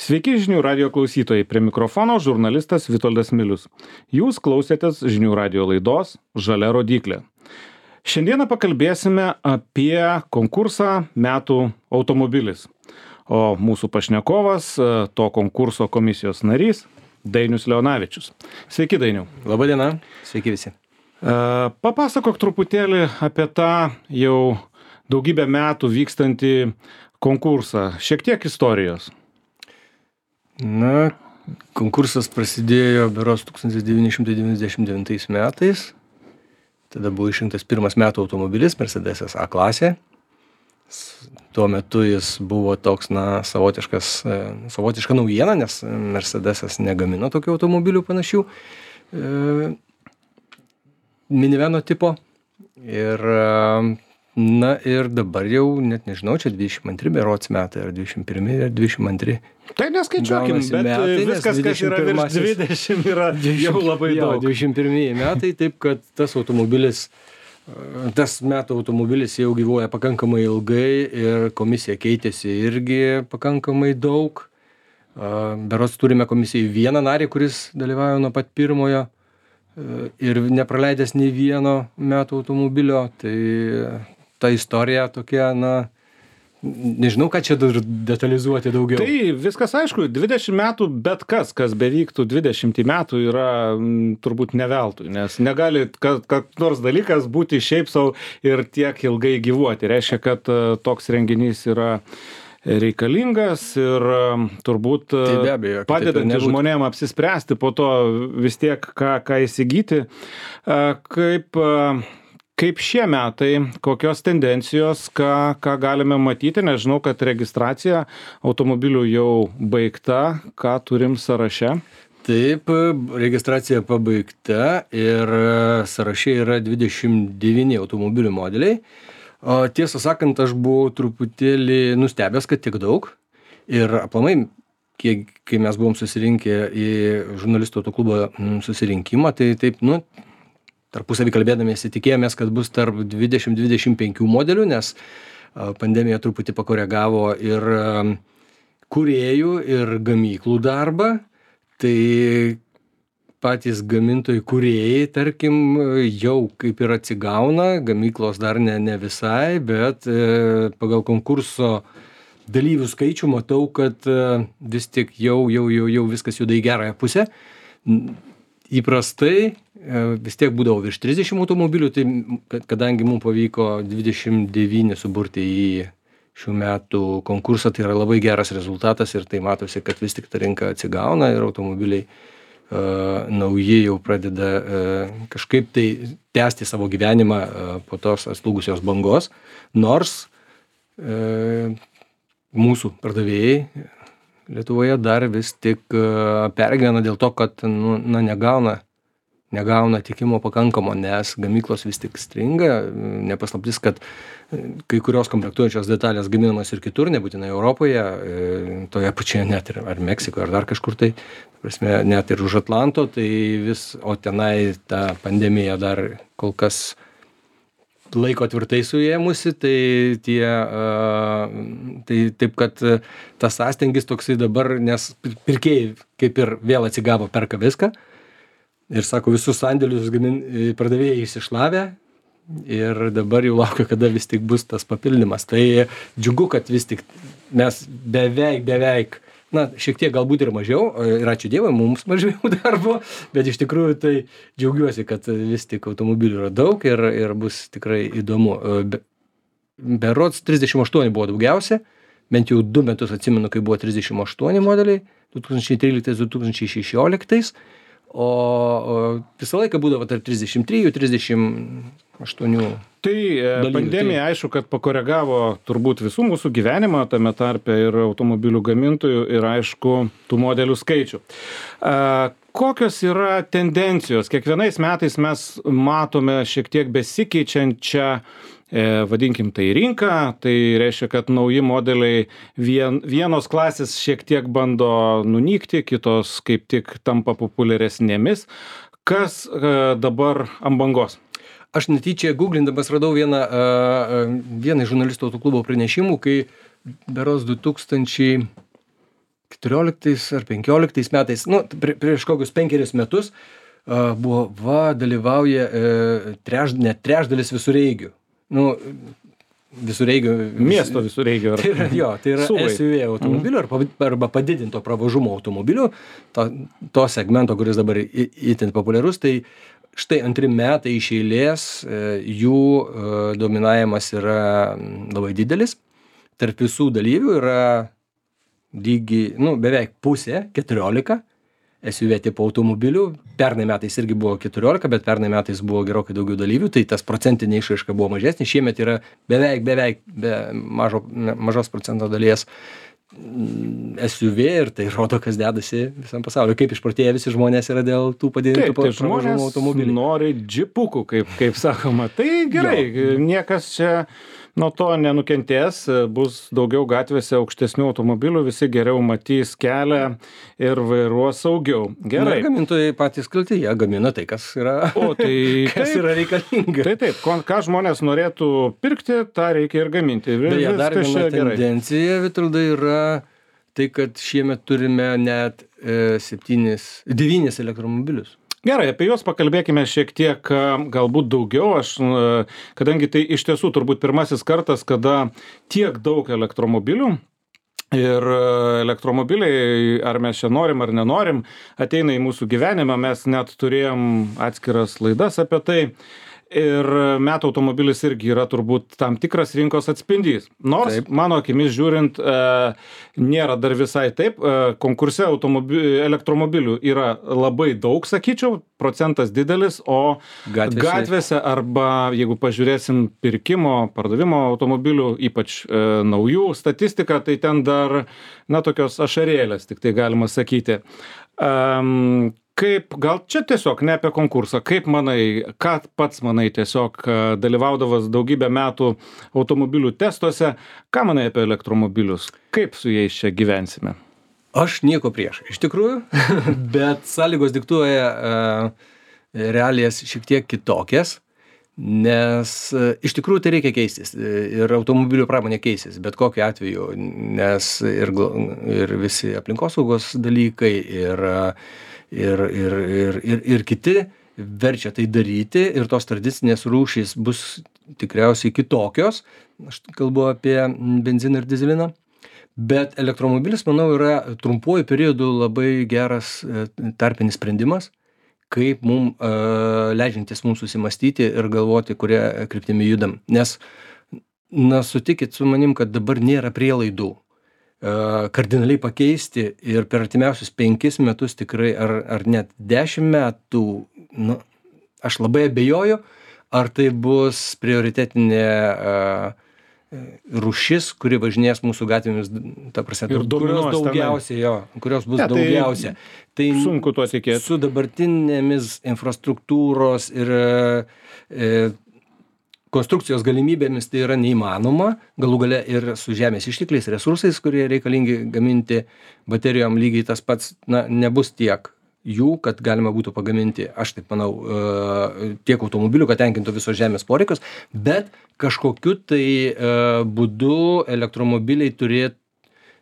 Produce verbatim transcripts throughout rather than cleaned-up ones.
Sveiki žinių radio klausytojai, prie mikrofono žurnalistas Vitoldas Milius. Jūs klausėtės žinių radio laidos Žalia rodyklė. Šiandieną pakalbėsime apie konkursą Metų automobilis. O mūsų pašnekovas, to konkurso komisijos narys, Dainius Leonavičius. Sveiki, Dainiau. Labą dieną, sveiki visi. Papasakok truputėlį apie tą jau daugybę metų vykstantį konkursą. Šiek tiek istorijos. Na, konkursas prasidėjo berods tūkstantis devyni šimtai devyniasdešimt devintais metais. Tada buvo išrinktas pirmas Metų automobilis, Mercedesas A klasė. Tuo metu jis buvo toks, na, savotiškas, savotiška naujiena, nes Mercedesas negamino tokių automobilių panašių. E, miniveno tipo. Ir, na, ir dabar jau, net nežinau, čia dvidešimt antri berods metai, ar dvidešimt pirmi, ar dvidešimt antri. Tai neskaičiuokim, bet metai, viskas, kas yra virš dvidešimt, yra jau labai jo, daug. dvidešimt pirmi metai, taip kad tas automobilis, tas Metų automobilis jau gyvuoja pakankamai ilgai ir komisija keitėsi irgi pakankamai daug. Berods turime komisijai vieną narį, kuris dalyvauja nuo pat pirmojo ir nepraleidęs nei vieno Metų automobilio. Tai ta istorija tokia, na, nežinau, ką čia dar detalizuoti daugiau. Tai viskas aišku, dvidešimt metų, bet kas, kas bevyktų dvidešimt metų yra m, turbūt ne veltui, nes negali kad, kad nors dalykas būti šiaip savo ir tiek ilgai gyvuoti. Reiškia, kad uh, toks renginys yra reikalingas ir uh, turbūt uh, tai abejo, padedantis žmonėm apsispręsti po to vis tiek, ką, ką įsigyti. Uh, kaip... Uh, Kaip šie metai, kokios tendencijos, ką, ką galime matyti, nežinau, kad registracija automobilių jau baigta, ką turim sąraše? Taip, registracija pabaigta ir sąraše yra dvidešimt devyni automobilių modeliai. O tiesą sakant, aš buvau truputėlį nustebęs, kad tiek daug. Ir aplamai, kiek, kai mes buvom susirinkę į žurnalistų autoklubo susirinkimą, tai taip, nu, tarpusavį kalbėdamiesi tikėjomės, kad bus tarp dvidešimt dvidešimt penkių modelių, nes pandemija truputį pakoregavo ir kūrėjų, ir gamyklų darbą. Tai patys gamintojai kūrėjai, tarkim, jau kaip ir atsigauna, gamyklos dar ne, ne visai, bet pagal konkurso dalyvių skaičių matau, kad vis tik jau, jau, jau, jau viskas juda į gerąją pusę. Įprastai vis tiek būdavo virš trisdešimt automobilių, tai kadangi mums pavyko dvidešimt devyni suburti į šių metų konkursą, tai yra labai geras rezultatas ir tai matosi, kad vis tik ta rinka atsigauna ir automobiliai uh, nauji jau pradeda uh, kažkaip tai tęsti savo gyvenimą uh, po tos atslūgusios bangos, nors uh, mūsų pardavėjai Lietuvoje dar vis tik uh, pergyvena dėl to, kad nu, na, negauna negauna tikimo pakankamo, nes gamyklos vis tik stringa. Nepaslaptis, kad kai kurios komplektuojančios detalės gaminamos ir kitur, nebūtinai Europoje, toje pačioje net ir ar Meksikoje, ar dar kažkur tai, prasme, net ir už Atlanto, tai vis, o tenai ta pandemija dar kol kas laiko tvirtai suėmusi, tai tie, tai taip, kad tas sąstingis toksai dabar, nes pirkėjai kaip ir vėl atsigavo, perka viską, ir sako, visus sandėlius gamin, pardavėjai išsišlavę ir dabar jau laukia, kada vis tik bus tas papildymas. Tai džiugu, kad vis tik mes beveik, beveik, na, šiek tiek galbūt ir mažiau, ir ačiū Dievui, mums mažiau darbo, bet iš tikrųjų tai džiaugiuosi, kad vis tik automobilių yra daug ir, ir bus tikrai įdomu. Be, berods trisdešimt aštuoni buvo daugiausia, bent jau du metus atsimenu, kai buvo trisdešimt aštuoni modeliai, du tūkstančiai tryliktais du tūkstančiai šešioliktais. O, o visą laiką būdavo tarp trisdešimt trijų trisdešimt aštuonių. Tai dalyvių. Pandemija, tai aišku, kad pakoregavo turbūt visų mūsų gyvenimą, tame tarpe ir automobilių gamintojų ir aišku, tų modelių skaičių. A, kokios yra tendencijos? Kiekvienais metais mes matome šiek tiek besikeičiančią vadinkim tai rinką, tai reiškia, kad nauji modeliai vien, vienos klasės šiek tiek bando nunykti, kitos kaip tik tampa populiaresnėmis. Kas dabar ant bangos? Aš netyčia googlindamas radau vieną, vieną iš žurnalistų autoklubo pranešimų, kai berods du tūkstančiai keturioliktais ar penkioliktais metais, nu, prie, prieš kokius penkerius metus, uh, buvo, va, dalyvauja uh, treš, net trečdalis visureigių. Nu, visureigių. Miesto visureigių. Tai yra, jo, tai yra Suvai. S U V automobilių arba, arba padidinto pravažumo automobilių, to, to segmento, kuris dabar itin populiarus, tai štai antri metai iš eilės jų dominavimas yra labai didelis. Tarp visų dalyvių yra lygiai, nu, beveik pusė, keturiolika S U V tipo automobilių. Pernai metais irgi buvo keturiolika, bet pernai metais buvo gerokai daugiau dalyvių, tai tas procentinė išraiška buvo mažesnė. Šiemet yra beveik, beveik be mažo, mažos procento dalies S U V ir tai rodo, kas dedasi visam pasauliu. Kaip išprotėję visi žmonės yra dėl tų padidintų pravažumo automobilių. Nori džipukų, kaip, kaip sakoma. Tai gerai, jo. Niekas čia nuo to nenukentės, bus daugiau gatvėse aukštesnių automobilių, visi geriau matys kelią ir vairuos saugiau. Gerai. Na, gamintojai patys kalti, jie gamina tai, kas yra, o, tai, kas taip, yra reikalinga. Tai taip, ką žmonės norėtų pirkti, tą reikia ir gaminti. Beje, dar viena tendencija, Vitoldai, yra tai, kad šiemet turime net e, septynis, devynis elektromobilius. Gerai, apie juos pakalbėkime šiek tiek galbūt daugiau. Aš, kadangi tai iš tiesų turbūt pirmasis kartas, kada tiek daug elektromobilių ir elektromobiliai, ar mes čia norim ar nenorim, ateina į mūsų gyvenimą. Mes net turėjom atskiras laidas apie tai. Ir metų automobilis irgi yra turbūt tam tikras rinkos atspindys. Nors, taip, mano akimis žiūrint, e, nėra dar visai taip. E, konkurse elektromobilių yra labai daug, sakyčiau, procentas didelis, o gatvėse, gatvėse arba, jeigu pažiūrėsim pirkimo, pardavimo automobilių, ypač e, naujų statistiką, tai ten dar, na, tokios ašarėlės, tik tai galima sakyti. Um, Kaip, gal čia tiesiog ne apie konkursą, kaip manai, ką pats manai tiesiog dalyvaudavas daugybę metų automobilių testuose, ką manai apie elektromobilius, kaip su jais čia gyvensime? Aš nieko prieš, iš tikrųjų, bet sąlygos diktuoja uh, realijas šiek tiek kitokias, nes uh, iš tikrųjų tai reikia keistis ir automobilių pramonė keisis, bet kokiu atveju, nes ir, ir visi aplinkosaugos dalykai ir uh, Ir, ir, ir, ir, ir kiti verčia tai daryti ir tos tradicinės rūšys bus tikriausiai kitokios. Aš kalbu apie benziną ir dyzeliną. Bet elektromobilis, manau, yra trumpuoju periodu labai geras tarpinis sprendimas, kaip mum, uh, leidžiantis mums susimastyti ir galvoti, kuria kryptimi judam. Nes, na, sutikit su manim, kad dabar nėra prielaidų kardinaliai pakeisti ir per artimiausius penkis metus tikrai, ar, ar net dešimt metų, nu, aš labai abejoju, ar tai bus prioritetinė uh, rūšis, kuri važinės mūsų gatvėmis, ta prasme, kurios daugiausia, jo, kurios bus ja, tai daugiausia. Tai sunku tuo tikėti. Su dabartinėmis infrastruktūros ir e, konstrukcijos galimybėmis tai yra neįmanoma, galų gale ir su žemės ištekliais, resursais, kurie reikalingi gaminti baterijom, lygiai tas pats, na, nebus tiek jų, kad galima būtų pagaminti, aš taip manau, tiek automobilių, kad tenkintų visos žemės poreikius, bet kažkokiu tai būdu elektromobiliai turėtų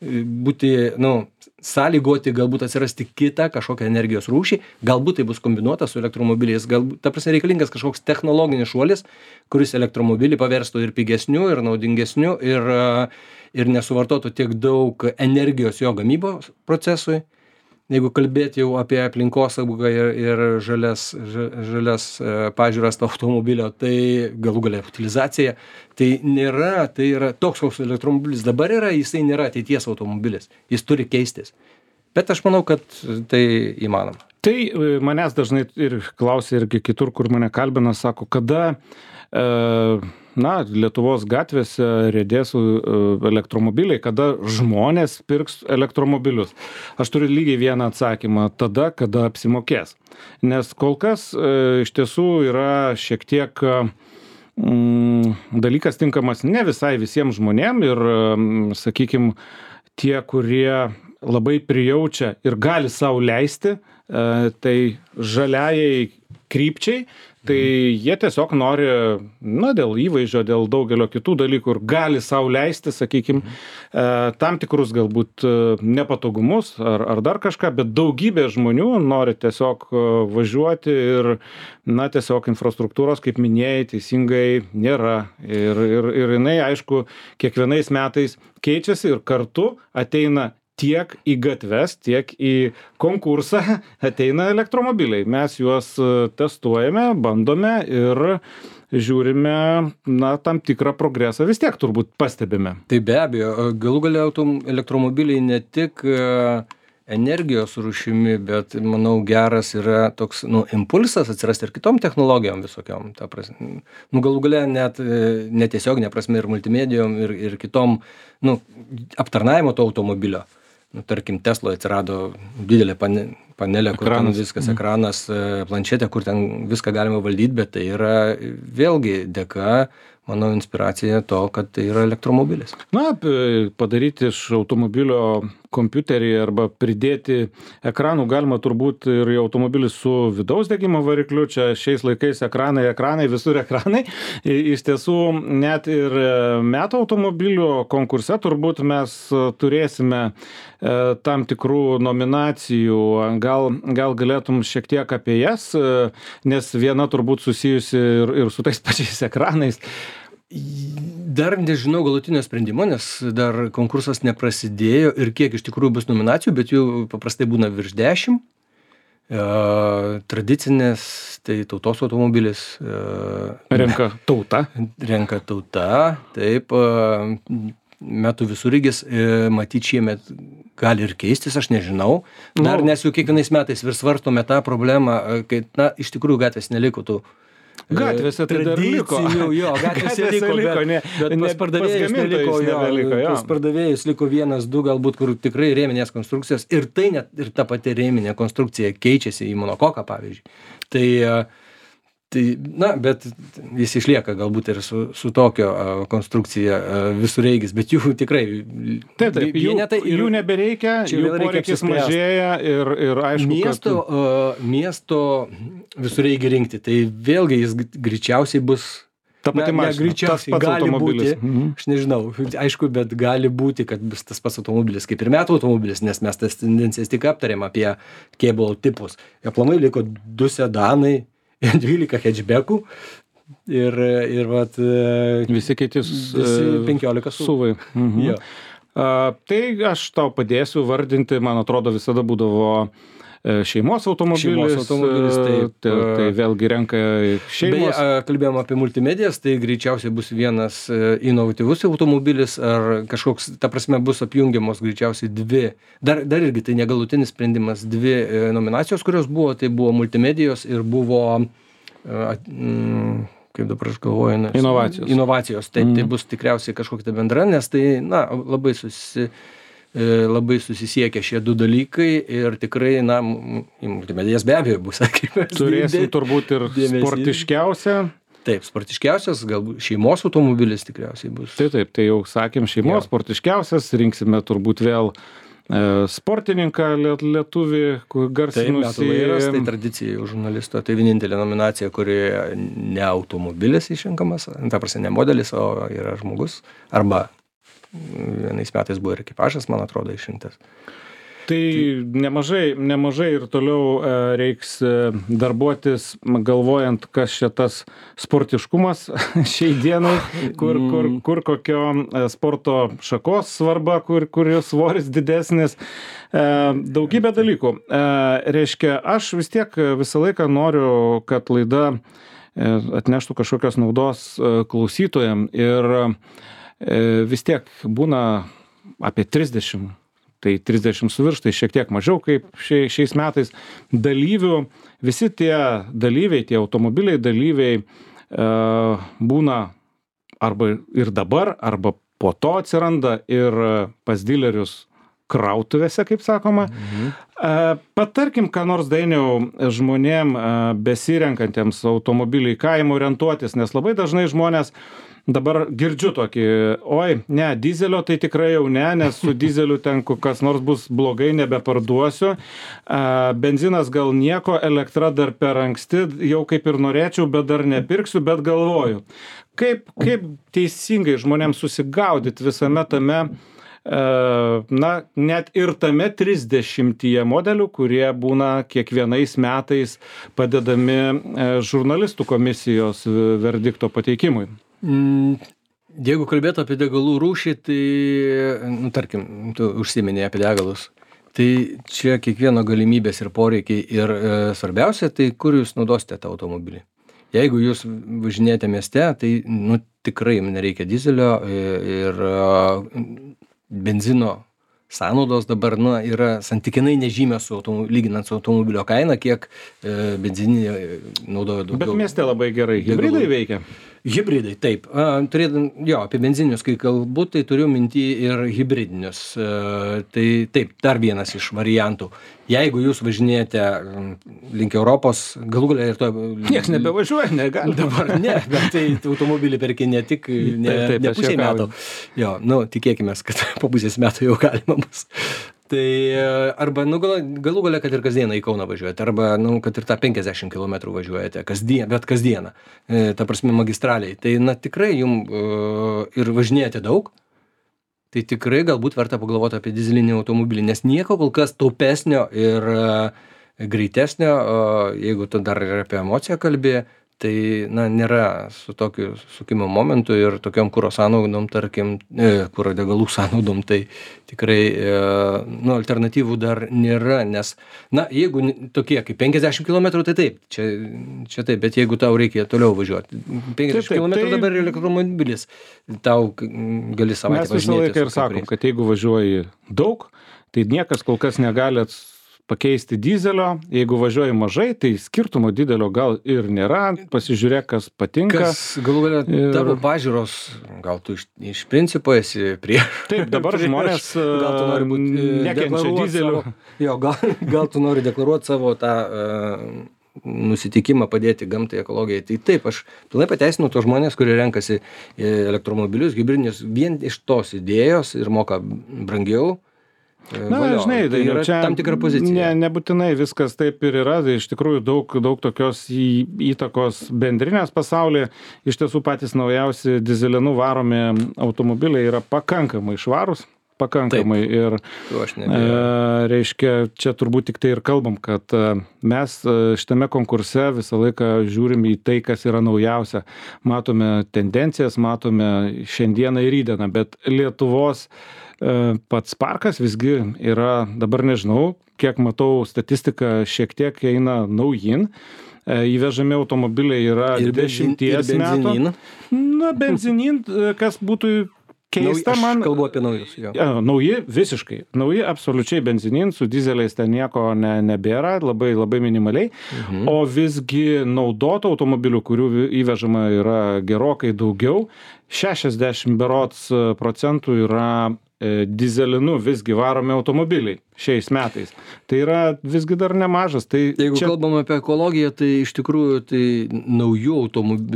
būti, nu, sąlygoti, galbūt atsirasti kitą kažkokią energijos rūšį, galbūt tai bus kombinuota su elektromobiliais, galbūt, ta prasme, reikalingas kažkoks technologinis šuolis, kuris elektromobilį paverstų ir pigesniu, ir naudingesniu, ir, ir nesuvartotų tiek daug energijos jo gamybos procesui. Jeigu kalbėti jau apie aplinkosaugą ir, ir žalias, žalias pažiūras to automobilio, tai galų galia utilizacija, tai nėra, tai yra toks, koks elektromobilis dabar yra, jisai nėra ateities automobilis, jis turi keistis. Bet aš manau, kad tai įmanoma. Tai manęs dažnai ir klausia irgi kitur, kur mane kalbina, sako, kada e, na, Lietuvos gatvėse riedės elektromobiliai, kada žmonės pirks elektromobilius. Aš turiu lygiai vieną atsakymą, tada, kada apsimokės. Nes kol kas e, iš tiesų yra šiek tiek mm, dalykas tinkamas ne visai visiems žmonėm ir, mm, sakykime, tie, kurie labai prijaučia ir gali sau leisti, e, tai žaliajai krypčiai, tai jie tiesiog nori, na, dėl įvaizdžio, dėl daugelio kitų dalykų ir gali sau leisti, sakykim, tam tikrus galbūt nepatogumus ar, ar dar kažką, bet daugybė žmonių nori tiesiog važiuoti ir, na, tiesiog infrastruktūros, kaip minėjai, teisingai nėra. Ir, ir, ir jinai, aišku, kiekvienais metais keičiasi ir kartu ateina tiek į gatves, tiek į konkursą ateina elektromobiliai. Mes juos testuojame, bandome ir žiūrime, na, tam tikrą progresą vis tiek turbūt pastebime. Tai be abejo, galų galia elektromobiliai ne tik energijos rūšimi, bet, manau, geras yra toks, nu, impulsas atsirasti ir kitom technologijom visokiom. Ta prasme, nu, galų galia net netiesioginė prasme ir multimedijom ir, ir kitom, nu, aptarnavimo to automobilio. Nu, tarkim, Tesloje atsirado didelė pane, panelė, kur ekranas. Ten viskas, ekranas, planšetė, kur ten viską galima valdyti, bet tai yra vėlgi dėka, manau, inspiracija to, kad tai yra elektromobilis. Na, padaryti iš automobilio kompiuterį arba pridėti ekranų galima turbūt ir į automobilį su vidaus degimo varikliu. Čia šiais laikais ekranai, ekranai, visur ekranai. Iš tiesų, net ir metų automobilių konkurse turbūt mes turėsime tam tikrų nominacijų. Gal, gal galėtum šiek tiek apie jas, nes viena turbūt susijusi ir, ir su tais pačiais ekranais. Dar nežinau galutinio sprendimo, nes dar konkursas neprasidėjo ir kiek iš tikrųjų bus nominacijų, bet jų paprastai būna virš dešimt. E, tradicinės, tai tautos automobilis. E, renka tauta. Renka tauta, taip. E, metų visureigis, e, matyt, šiemet gali ir keistis, aš nežinau. Dar no. Nes jau kiekvienais metais vis svarstome tą problemą, kai, na, iš tikrųjų gatvės neliko tų gatvėse tai dar liko. Jo, gatvėse liko, liko bet, ne, bet pas pardavėjus neliko, jo, neliko, jo. Pas pardavėjus liko vienas, du, galbūt, kur tikrai rėminės konstrukcijos ir tai net ir ta pati rėminė konstrukcija keičiasi į monokoką, pavyzdžiui. Tai, tai, na, bet jis išlieka galbūt ir su, su tokio konstrukcija visureigis, bet jų tikrai taip, taip, jų, vienetai ir, jų nebereikia, jų poreikis mažėja ir, ir aišku, miesto, kad... uh, miesto visureigį rinkti, tai vėlgi jis greičiausiai bus ta pati na, mašina, greičiausiai gali būti, mhm. Aš nežinau, aišku, bet gali būti, kad bus tas pats automobilis kaip ir metų automobilis, nes mes tas tendencijas tik aptarėm apie kėbulo tipus. Aplamai liko du sedanai, dvylika hatchbackų ir, ir vat, visi kiti penkiolika suvai. Mhm. Jo. A, tai aš tau padėsiu vardinti, man atrodo, visada būdavo šeimos automobilis, šeimos automobilis taip, tai, tai vėlgi renka šeimos. Beje, kalbėjom apie multimedijas, tai greičiausiai bus vienas inovatyvus automobilis ar kažkoks, ta prasme, bus apjungiamos greičiausiai dvi, dar, dar irgi tai negalutinis sprendimas, dvi nominacijos, kurios buvo, tai buvo multimedijos ir buvo, kaip dabar aš galvoju, nes, inovacijos. Inovacijos, taip, mm. Tai bus tikriausiai kažkokia bendra, nes tai, na, labai susi... labai susisiekia šie du dalykai ir tikrai, na, į multimedijas be abejo bus. Turėsim turbūt ir dėmesį. Sportiškiausią. Taip, sportiškiausias, galbūt šeimos automobilis tikriausiai bus. Taip, taip, tai jau sakėm šeimos, jo. Sportiškiausias, rinksime turbūt vėl e, sportininką lietuvį, garsinusį. Taip, metų vairas, tai tradicija jau žurnalisto, tai vienintelė nominacija, kuri ne automobilis išrinkamas, ta prasme ne modelis, o yra žmogus, arba vienais metais buvo ir ekipažas, man atrodo, išrinktas. Tai nemažai, nemažai ir toliau reiks darbuotis, galvojant, kas čia tas sportiškumas šiai dienai, kur, kur, kur kokio sporto šakos svarba, kur, kur svoris didesnis. Daugybė dalykų. Reiškia, aš vis tiek visą laiką noriu, kad laida atneštų kažkokios naudos klausytojam ir vis tiek būna apie trisdešimt, tai trisdešimt su virš, tai šiek tiek mažiau kaip šiais metais dalyvių. Visi tie dalyviai, tie automobiliai dalyviai būna arba ir dabar, arba po to atsiranda ir pas dilerius krautuvėse, kaip sakoma. Mhm. Patarkim, ką nors, Dainiau, žmonėm besirenkantiems automobilį į kaimą orientuotis, nes labai dažnai žmonės dabar girdžiu tokį, oi, ne, dizelio tai tikrai jau ne, nes su dizeliu ten kas nors bus blogai, nebeparduosiu. Benzinas gal nieko, elektra dar per anksti, jau kaip ir norėčiau, bet dar nepirksiu, bet galvoju. Kaip, kaip teisingai žmonėms susigaudyti visame tame, na, net ir tame trisdešimtyje modelių, kurie būna kiekvienais metais padedami žurnalistų komisijos verdikto pateikimui? Jeigu kalbėtų apie degalų rūšį, tai, nu, tarkim, tu užsiminėjai apie degalus, tai čia kiekvieno galimybės ir poreikiai ir e, svarbiausia, tai kur jūs naudosite tą automobilį. Jeigu jūs važinėjate mieste, tai, nu, tikrai jums nereikia dizelio ir e, benzino sąnaudos dabar, nu, yra santykinai nežymios su lyginant su automobilio kaina, kiek e, benzininė naudoja daugiau. Bet mieste labai gerai hibridai veikia. Hibridai, taip. Turėdam, jo, apie benzinius, kai kalbu, tai turiu minty ir hibridinius. Tai taip, dar vienas iš variantų. Jeigu jūs važinėjate link Europos, galų galia ir to... Niekas nebevažiuoja, negali. Dabar ne, bet tai automobilį perki ne tik ne, taip, taip, ne pusė metų. Jo, nu, tikėkime, kad po pusės metų jau galima bus. Tai arba, nu, gal, galų galia, kad ir kasdieną į Kauną važiuojate, arba, nu, kad ir tą penkiasdešimt kilometrų važiuojate, kasdien, bet kasdieną, e, ta prasme magistraliai. Tai, na, tikrai jums uh, ir važinėjate daug, tai tikrai galbūt verta pagalvoti apie dizelinį automobilį, nes nieko kol kas taupesnio ir uh, greitesnio, uh, jeigu tu dar ir apie emociją kalbė, tai, na, nėra su tokiu sukimo momentu ir tokiom kuro sąnaudom, tarkim, e, kuro degalų sąnaudom, tai tikrai, e, nu, alternatyvų dar nėra, nes, na, jeigu tokie kaip penkiasdešimt kilometrų, tai taip, čia, čia taip, bet jeigu tau reikia toliau važiuoti, penkiasdešimt kilometrų tai... dabar elektromobilis, tau gali savaitę važinėti. Mes visą laiką ir sakom, kad jeigu važiuoji daug, tai niekas kol kas negali pakeisti dizelio, jeigu važiuoji mažai, tai skirtumo didelio gal ir nėra, pasižiūrėk, kas patinka. Kas, galų galia, ir... tavo pažiūros, gal tu iš, iš principo esi prieš. Taip, dabar prieš, žmonės gal tu nori būti nekenčia dizelio. Savo, jo, gal, gal tu nori deklaruoti savo tą uh, nusitikimą padėti gamtai, ekologijai. Tai taip, aš pilnai pateisinu tos žmonės, kurie renkasi elektromobilius, hibridinius, vien iš tos idėjos ir moka brangiau. Na, valio, žinai, tai yra čia tam tikra pozicija. Ne, nebūtinai viskas taip ir yra, tai iš tikrųjų daug, daug tokios į, įtakos bendrinės pasaulyje. Iš tiesų patys naujausi dizelinų varomi automobiliai yra pakankamai švarūs, pakankamai. Taip. Ir e, reiškia, čia turbūt tik tai ir kalbam, kad mes šitame konkurse visą laiką žiūrim į tai, kas yra naujausia. Matome tendencijas, matome šiandieną ir rydieną, bet Lietuvos pats parkas visgi yra, dabar nežinau, kiek matau statistiką, šiek tiek eina naujin. Įvežami automobiliai yra dešimties metų. Na, benzinin, kas būtų keista Nauj, man. Aš kalbu apie naujus. Jo. Ja, nauji, visiškai. Nauji, absoliučiai benzinin, su dizeliais ten nieko ne, nebėra, labai, labai minimaliai. Mhm. O visgi naudotų automobilių, kurių įvežama yra gerokai daugiau, šešiasdešimt berods procentų yra e, dizelinu visgi varomi automobiliai šiais metais. Tai yra visgi dar nemažas. Tai jeigu čia... kalbam apie ekologiją, tai iš tikrųjų tai naujų automobilių